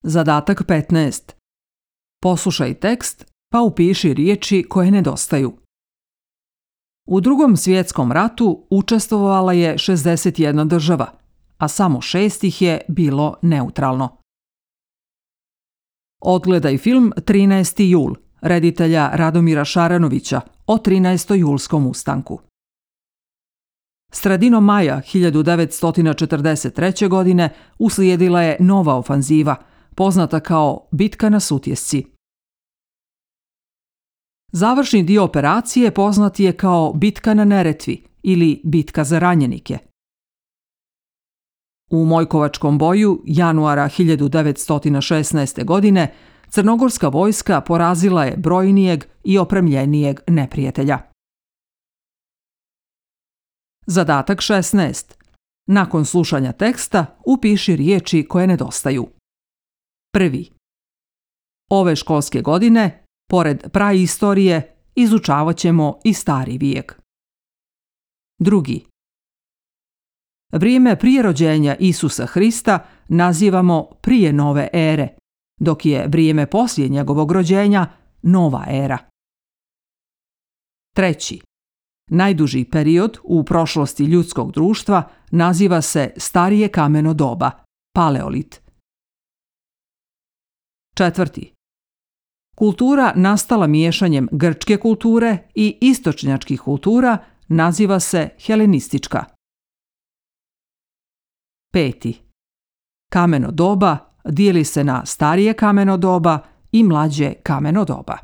Zadatak 15. Poslušaj tekst pa upiši riječi koje nedostaju. U Drugom svjetskom ratu učestvovala je 61 država, a samo 6 ih je bilo neutralno. Odgledaj film 13. jul reditelja Radomira Šaranovića o 13. julskom ustanku. Sredinom maja 1943. godine uslijedila je nova ofanziva, poznata kao Bitka na Sutjesci. Završni dio operacije poznat je kao Bitka na Neretvi ili Bitka za ranjenike. U Mojkovačkom boju januara 1916. godine crnogorska vojska porazila je brojnijeg i opremljenijeg neprijatelja. Zadatak 16. Nakon slušanja teksta upiši riječi koje nedostaju. Prvi. Ove školske godine, pored praistorije, izučavat ćemo i stari vijek. Drugi. Vrijeme prije rođenja Isusa Hrista nazivamo prije nove ere, dok je vrijeme poslije njegovog rođenja nova era. Treći. Najduži period u prošlosti ljudskog društva naziva se starije kameno doba, paleolit. Četvrti. Kultura nastala miješanjem grčke kulture i istočnjačkih kultura naziva se helenistička. Peti. Kameno doba dijeli se na starije kameno doba i mlađe kameno doba.